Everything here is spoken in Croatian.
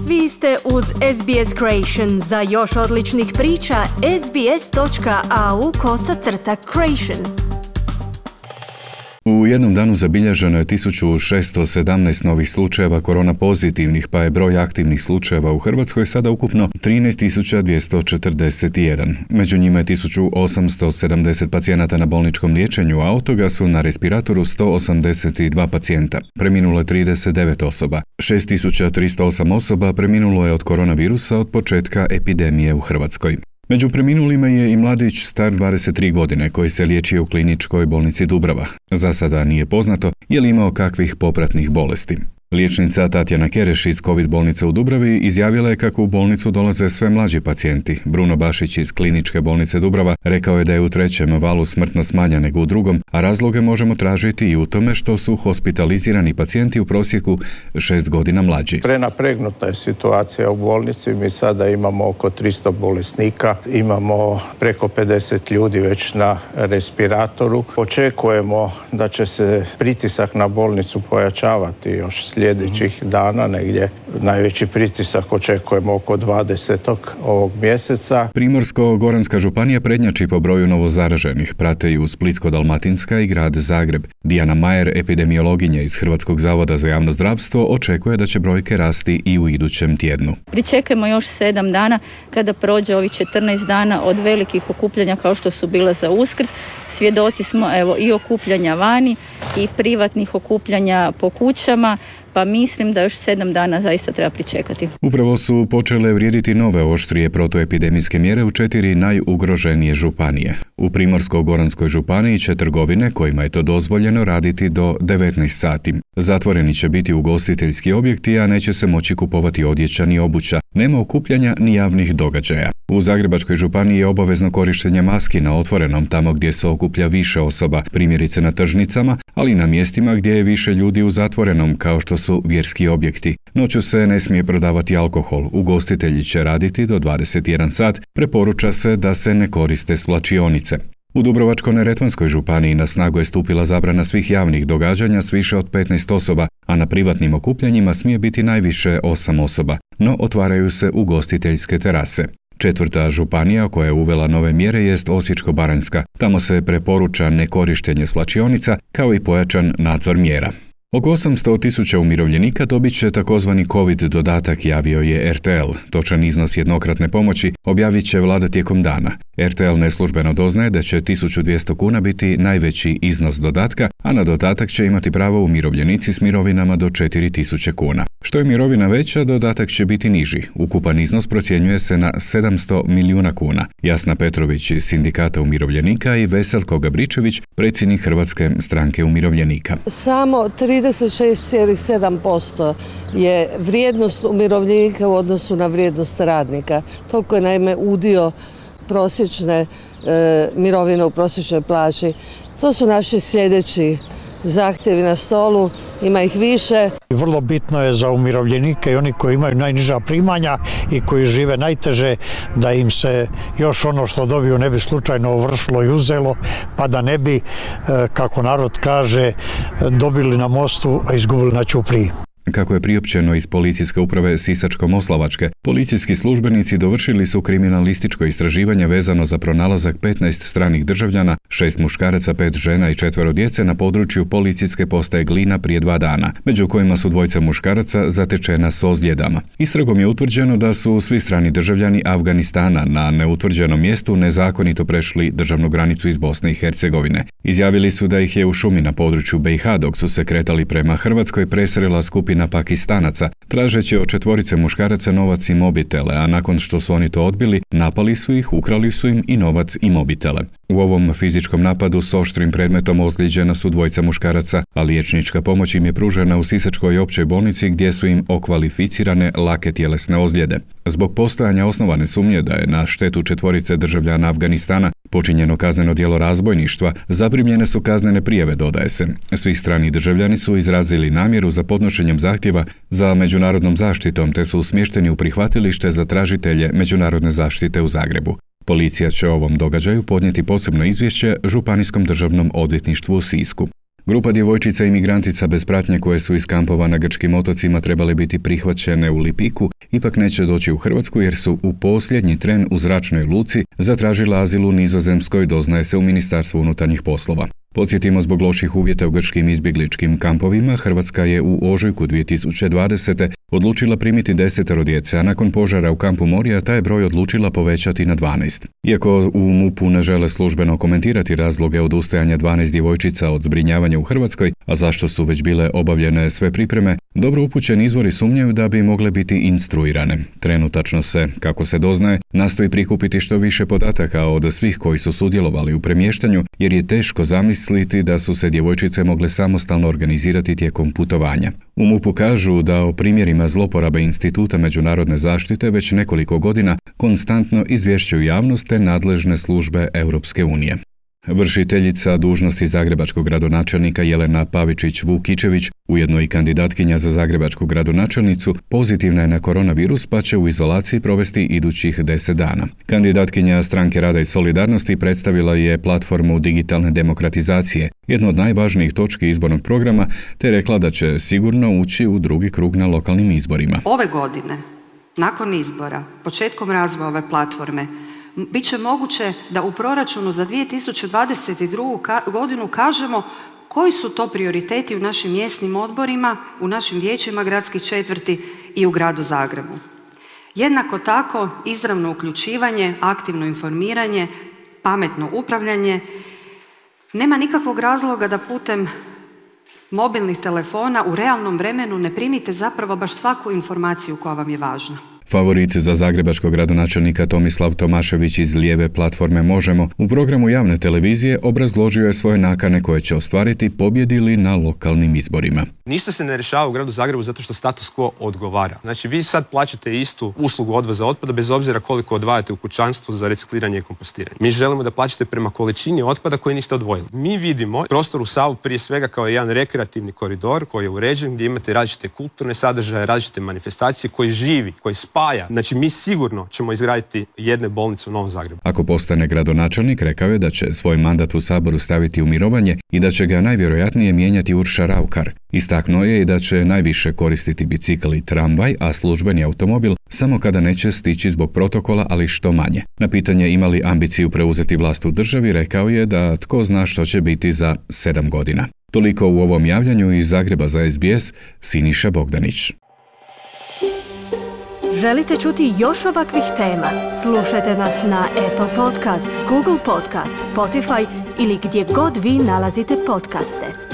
Vi ste uz SBS Creation. Za još odličnih priča, sbs.au/creation. U jednom danu zabilježeno je 1617 novih slučajeva korona pozitivnih, pa je broj aktivnih slučajeva u Hrvatskoj sada ukupno 13.241. Među njima je 1870 pacijenata na bolničkom liječenju, a od toga su na respiratoru 182 pacijenta. Preminulo je 39 osoba. 6308 osoba preminulo je od koronavirusa od početka epidemije u Hrvatskoj. Među preminulima je i mladić star 23 godine koji se liječio u kliničkoj bolnici Dubrava. Za sada nije poznato je li imao kakvih popratnih bolesti. Liječnica Tatjana Kereš iz COVID bolnice u Dubravi izjavila je kako u bolnicu dolaze sve mlađi pacijenti. Bruno Bašić iz kliničke bolnice Dubrava rekao je da je u trećem valu smrtnost manja nego u drugom, a razloge možemo tražiti i u tome što su hospitalizirani pacijenti u prosjeku 6 godina mlađi. Prenapregnuta je situacija u bolnici. Mi sada imamo oko 300 bolesnika, imamo preko 50 ljudi već na respiratoru. Očekujemo da će se pritisak na bolnicu pojačavati još sljedećih dana, negdje najveći pritisak očekujemo oko 20. ovog mjeseca. Primorsko-goranska županija prednjači po broju novozaraženih, prate ju Splitsko-dalmatinska i grad Zagreb. Dijana Majer, epidemiologinja iz Hrvatskog zavoda za javno zdravstvo, očekuje da će brojke rasti i u idućem tjednu. Pričekajmo još 7 dana kada prođe ovih 14 dana od velikih okupljanja kao što su bila za Uskrs. Svjedoci smo i okupljanja vani i privatnih okupljanja po kućama, pa mislim da još 7 dana zaista treba pričekati. Upravo su počele vrijediti nove oštrije protuepidemijske mjere u 4 najugroženije županije. U Primorsko-goranskoj županiji će trgovine kojima je to dozvoljeno raditi do 19 sati. Zatvoreni će biti ugostiteljski objekti, a neće se moći kupovati odjeća ni obuća. Nema okupljanja ni javnih događaja. U Zagrebačkoj županiji je obavezno korištenje maski na otvorenom tamo gdje se okuplja više osoba, primjerice na tržnicama, ali i na mjestima gdje je više ljudi u zatvorenom, kao što su vjerski objekti. Noću se ne smije prodavati alkohol, ugostitelji će raditi do 21 sat, preporuča se da se ne koriste svlačionice. U Dubrovačko-neretvanskoj županiji na snagu je stupila zabrana svih javnih događanja s više od 15 osoba, a na privatnim okupljanjima smije biti najviše 8 osoba, no otvaraju se ugostiteljske terase. 4. županija koja je uvela nove mjere jest Osječko-baranjska. Tamo se preporuča nekorištenje svlačionica kao i pojačan nadzor mjera. Oko 800.000 umirovljenika dobit će takozvani COVID dodatak, javio je RTL. Točan iznos jednokratne pomoći objavit će vlada tijekom dana. RTL neslužbeno doznaje da će 1200 kuna biti najveći iznos dodatka, a na dodatak će imati pravo umirovljenici s mirovinama do 4000 kuna. Što je mirovina veća, dodatak će biti niži. Ukupan iznos procjenjuje se na 700 milijuna kuna. Jasna Petrović iz Sindikata umirovljenika i Veselko Gabričević, predsjednik Hrvatske stranke umirovljenika. Samo 36,7% je vrijednost umirovljenika u odnosu na vrijednost radnika. Toliko je naime udio prosječne mirovine u prosječnoj plaći. To su naši sljedeći zahtjevi na stolu, ima ih više. Vrlo bitno je za umirovljenike i oni koji imaju najniža primanja i koji žive najteže da im se još ono što dobiju ne bi slučajno ovršilo i uzelo, pa da ne bi, kako narod kaže, dobili na mostu, a izgubili na ćupriji. Kako je priopćeno iz policijske uprave Sisačko-moslavačke, policijski službenici dovršili su kriminalističko istraživanje vezano za pronalazak 15 stranih državljana, 6 muškaraca, 5 žena i 4 djece na području policijske postaje Glina prije 2 dana, među kojima su 2 muškaraca zatečena s ozljedama. Istragom je utvrđeno da su svi strani državljani Afganistana na neutvrđenom mjestu nezakonito prešli državnu granicu iz Bosne i Hercegovine. Izjavili su da ih je u šumi na području BiH dok su se kretali prema Hrvatskoj presrela skupina Pakistanaca, tražeći od 4 muškaraca novac i mobitele, a nakon što su oni to odbili, napali su ih, ukrali su im i novac i mobitele. U ovom fizičkom napadu s oštrim predmetom ozlijeđena su 2 muškaraca, a liječnička pomoć im je pružena u Sisačkoj općoj bolnici gdje su im okvalificirane lake tjelesne ozljede. Zbog postojanja osnovane sumnje da je na štetu 4 državljana Afganistana počinjeno kazneno djelo razbojništva, zaprimljene su kaznene prijave, dodaje se. Svi strani državljani su izrazili namjeru za podnošenjem zahtjeva za međunarodnom zaštitom te su smješteni u prihvatilište za tražitelje međunarodne zaštite u Zagrebu. Policija će o ovom događaju podnijeti posebno izvješće Županijskom državnom odvjetništvu u Sisku. Grupa djevojčica i migrantica bez pratnje koje su iz kampova na grčkim otocima trebale biti prihvaćene u Lipiku, ipak neće doći u Hrvatsku jer su u posljednji tren u zračnoj luci zatražila azil u Nizozemskoj, doznaje se u Ministarstvu unutarnjih poslova. Podsjetimo, zbog loših uvjeta u grčkim izbjegličkim kampovima, Hrvatska je u ožujku 2020. odlučila primiti 10 djece, a nakon požara u kampu Moria taj je broj odlučila povećati na 12. Iako u MUP-u ne žele službeno komentirati razloge odustajanja 12 djevojčica od zbrinjavanja u Hrvatskoj, a zašto su već bile obavljene sve pripreme, dobro upućeni izvori sumnjaju da bi mogle biti instruirane. Trenutačno se, kako se doznaje, nastoji prikupiti što više podataka od svih koji su sudjelovali u premještanju, jer je teško zamisliti da su se djevojčice mogle samostalno organizirati tijekom putovanja. U MUP-u kažu da o primjerima zloporabe Instituta međunarodne zaštite već nekoliko godina konstantno izvješćuju javnost te nadležne službe Europske unije. Vršiteljica dužnosti zagrebačkog gradonačelnika Jelena Pavičić-Vukičević, ujedno i kandidatkinja za zagrebačku gradonačelnicu, pozitivna je na koronavirus pa će u izolaciji provesti idućih 10 dana. Kandidatkinja Stranke rada i solidarnosti predstavila je platformu digitalne demokratizacije, jednu od najvažnijih točki izbornog programa, te rekla da će sigurno ući u drugi krug na lokalnim izborima. Ove godine, nakon izbora, početkom razvoja ove platforme, bit će moguće da u proračunu za 2022. godinu kažemo koji su to prioriteti u našim mjesnim odborima, u našim vijećima gradskih četvrti i u gradu Zagrebu. Jednako tako, izravno uključivanje, aktivno informiranje, pametno upravljanje. Nema nikakvog razloga da putem mobilnih telefona u realnom vremenu ne primite zapravo baš svaku informaciju koja vam je važna. Favorit za zagrebačkog gradonačelnika Tomislav Tomašević iz lijeve platforme Možemo u programu javne televizije obrazložio je svoje nakane koje će ostvariti pobjedi li na lokalnim izborima. Ništa se ne rješava u gradu Zagrebu zato što status quo odgovara. Znači vi sad plaćate istu uslugu odvoza otpada bez obzira koliko odvajate u kućanstvu za recikliranje i kompostiranje. Mi želimo da plaćate prema količini otpada koji niste odvojili. Mi vidimo prostor u Savu prije svega kao jedan rekreativni koridor koji je uređen gdje imate različite kulturne sadržaje, različite manifestacije, koji živi, koji spaja. Znači mi sigurno ćemo izgraditi jedne bolnice u Novom Zagrebu. Ako postane gradonačelnik, rekao je da će svoj mandat u Saboru staviti u mirovanje i da će ga najvjerojatnije mijenjati Urša Raukar. Istaknuo je i da će najviše koristiti bicikl i tramvaj, a službeni automobil samo kada neće stići zbog protokola, ali što manje. Na pitanje ima li ambiciju preuzeti vlast u državi, rekao je da tko zna što će biti za 7 godina. Toliko u ovom javljanju iz Zagreba za SBS, Siniša Bogdanić. Želite čuti još ovakvih tema? Slušajte nas na Apple Podcast, Google Podcast, Spotify ili gdje god vi nalazite podcaste.